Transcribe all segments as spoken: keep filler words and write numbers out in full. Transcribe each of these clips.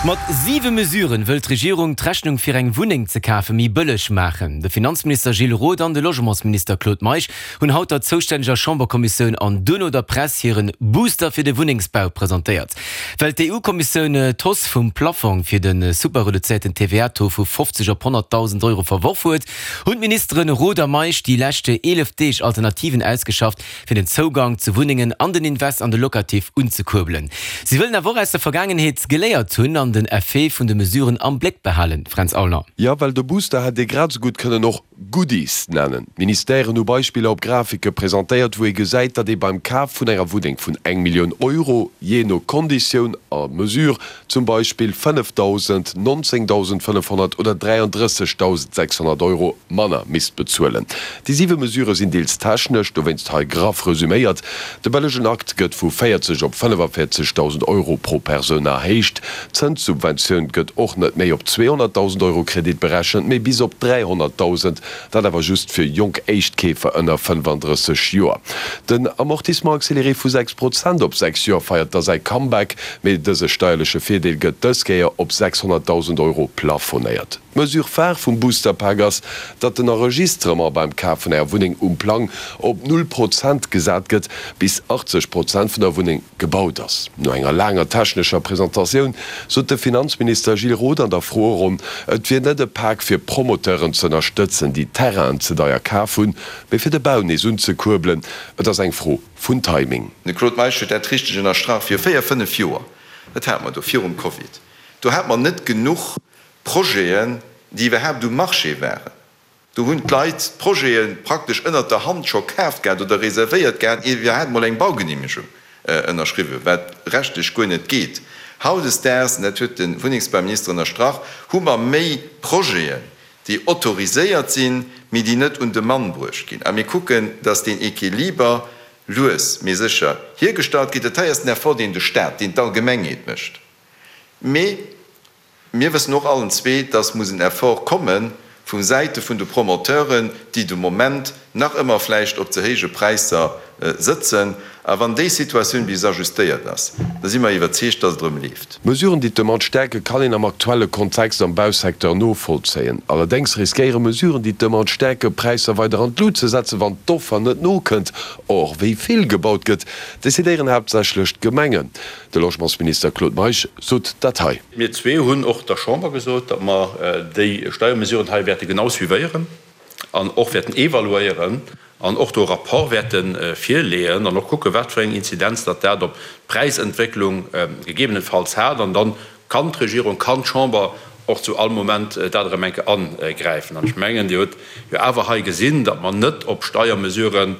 Mat siwe Mesuren wëll d'Regierung d'Rechnung fir eng Wunneng ze kafe méi bëlleg maachen. De Finanzminister Gilles Roth an de Logementsminister Claude Meisch hunn haut der zoustänneger Chamberkommissioun an duerno der Press hiren Booster fir de Wunnengsbau presentéiert. Well d'EU-Kommissioun d'Hausse vum Plafong fir de super-reduzéierten T V A-Taux vu fofzeg op honnertdausend Euro verworf huet, hunn d'Ministeren Roth a Meisch déi leschte eelef Deeg Alternativen ausgeschafft, fir den Zougang zu Wunnengen an den Invest an de Locatif unzekuerbelen. Si wëllen awer och aus der Vergaangenheet geléiert hunn an den Effet vun de Mesuren am Bléck behalen. Fränz Aulner. Jo, well de Booster hätt ee grad esou gutt kënnen och Goodies nennen. D'Ministèren hu Beispiller op Grafike presentéiert, wou ee gesäit, datt ee beim Kaf vun enger Wunneng vun eng Millioun Euro, jee no Konditioun a Mesure, zum Beispill fënnefdausend, nonzéngdausendfënnefhonnert oder dräiandrëssegdausendsechshonnert Euro manner misst bezuelen. Déi siwe Mesurë sinn deels technesch, dowéinst hei graff resuméiert, De bëllegen Akt gëtt vu véierzeg op fënnefavéierzegdausend Euro pro Persoun erhéicht. D'Zënssubventioun gëtt och net méi op zweehonnertdausend Euro Kredit berechent, mee bis op dräihonnertdausend, dat awer just fir jonk Éischtkeefer ënner fënnefandrësseg Joer. Den Amortissement accéléré vu sechs Prozent op sechs Joer feiert da säi Comeback, mee dëse steierleche Virdeel gëtt dës Kéier op sechshonnertdausend Euro plafonéiert. D'Mesure phare vum Booster-Pak ass, datt den Enregistrement beim Kaf vun enger Wunneng um Plang op null Prozent gesat gëtt, bis achtzeg Prozent vun der Wunneng gebaut ass. No enger laanger technescher Presentatioun sot de Finanzminister Gilles Roth an der Froeronn, et wier net e Pak fir Promoteuren ze ënnerstëtzen, déi Terrainen ze deier kaf hunn, mee fir de Bau nees unzekuerbelen. Et ass eng Fro vun Timing. De Claude Meisch huet dat richteg ënnerstrach, Viru véier, fënnef Joer, dat hate mer do virum Covid, do hate mer net genuch Projeten, déi iwwerhaapt um Marché waren. Do hunn d'Leit d'Projete praktesch ënnert der Hand scho kaaft gehat oder reservéiert gehat, ier iwwerhaapt emol eng Baugeneemegung ënnerschriwwen, wat rechtlech guer net geet. Hautdesdaags, an dat huet de Wunnengsbauminister ënnerstrach, hu mer méi Projeten, déi autoriséiert sinn, mee déi net un de Mann bruecht ginn. A mir kucken, dass deen Equiliber lues mee sécher hiergestallt gétt. Dat hei ass den Effort, deen de Stat, deen d'Allgemengheet mécht. Mee mir wëssen och allen zwee, dass muss en Effort komme vu Säite vun de Promoteuren, déi de Moment nach ëmmer vläicht op ze héije Präisser sëtzen. A wann déi Situatioun bis ajustéiert ass, da si mer iwwerzeegt, dass et erëm leeft. Mesuren, déi d'Demande stäerken, kann een am aktuelle Kontext am Bausecteur novollzéien. Allerdéngs riskéiere Mesuren, déi d'Demande stäerken, d'Präisser weider an d'Lut ze setzen, wann d'Offer net nokënnt. Or, wéi vill gebaut gëtt, decidéieren haaptsächlech d'Gemengen. De Logementsminister Claude Meisch sot dat hei. Mir zwee hunn och der Chamber gesot, datt mer déi Steiermesuren hei wäerte genau suivéieren an och wäerten evaluéieren an och do e Rapport wäerte virleeën an och kucken, wat fir eng Inzidenz datt dat op d'Präisentwécklung gegebenenfalls hat. An da kann d'Regierung, kann d'Chamber och zu all Moment dat erëm eng Kéier angräifen. An ech mengen, Dir hutt jo awer hei gesinn, datt mer net op Steiermesuren,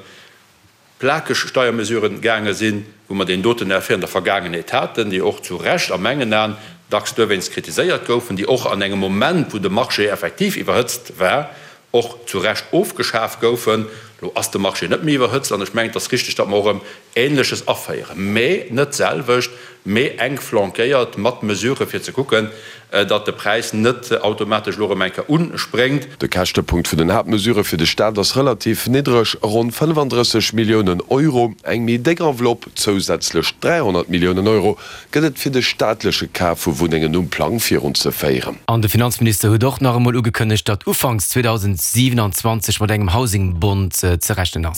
plakeg Steiermesuren gaange sinn, wou mer deen doten Effet an der Vergaangenheet haten, déi och zu Recht a mengen Aen dacks duerwéinst kritiséiert goufen, déi och an engem Moment, wou de Marché effektiv iwwerhëtzt war, och zu Recht ofgeschaf goufen. Elo ass de Marché net méi iwwerhëtzt an ech mengen, et ass richtig, datt mer och erëm Ähnleches aféieren, mä net d'selwecht, mä enk flankéiert mat Mesurë fir ze kucken, datt de Präis net automatesch elo erëm eng Kéier unspréngt. De Käschtepunkt vun den Haaptmesurë fir de Staat ass relativ niddreg, ronn fënnefandrësseg Milliounen Euro. Eng méi déck Enveloppe, zousätzlech dräihonnert Milliounen Euro, gëtt et fir de staatleche Kaf vu Wunnengen um Plang virunzeféieren. An de Finanzminister huet och nach emol ugekënnegt, datt ufanks zweedausendsiewenundzwanzeg mat engem Housing Bond ze rechnen ass.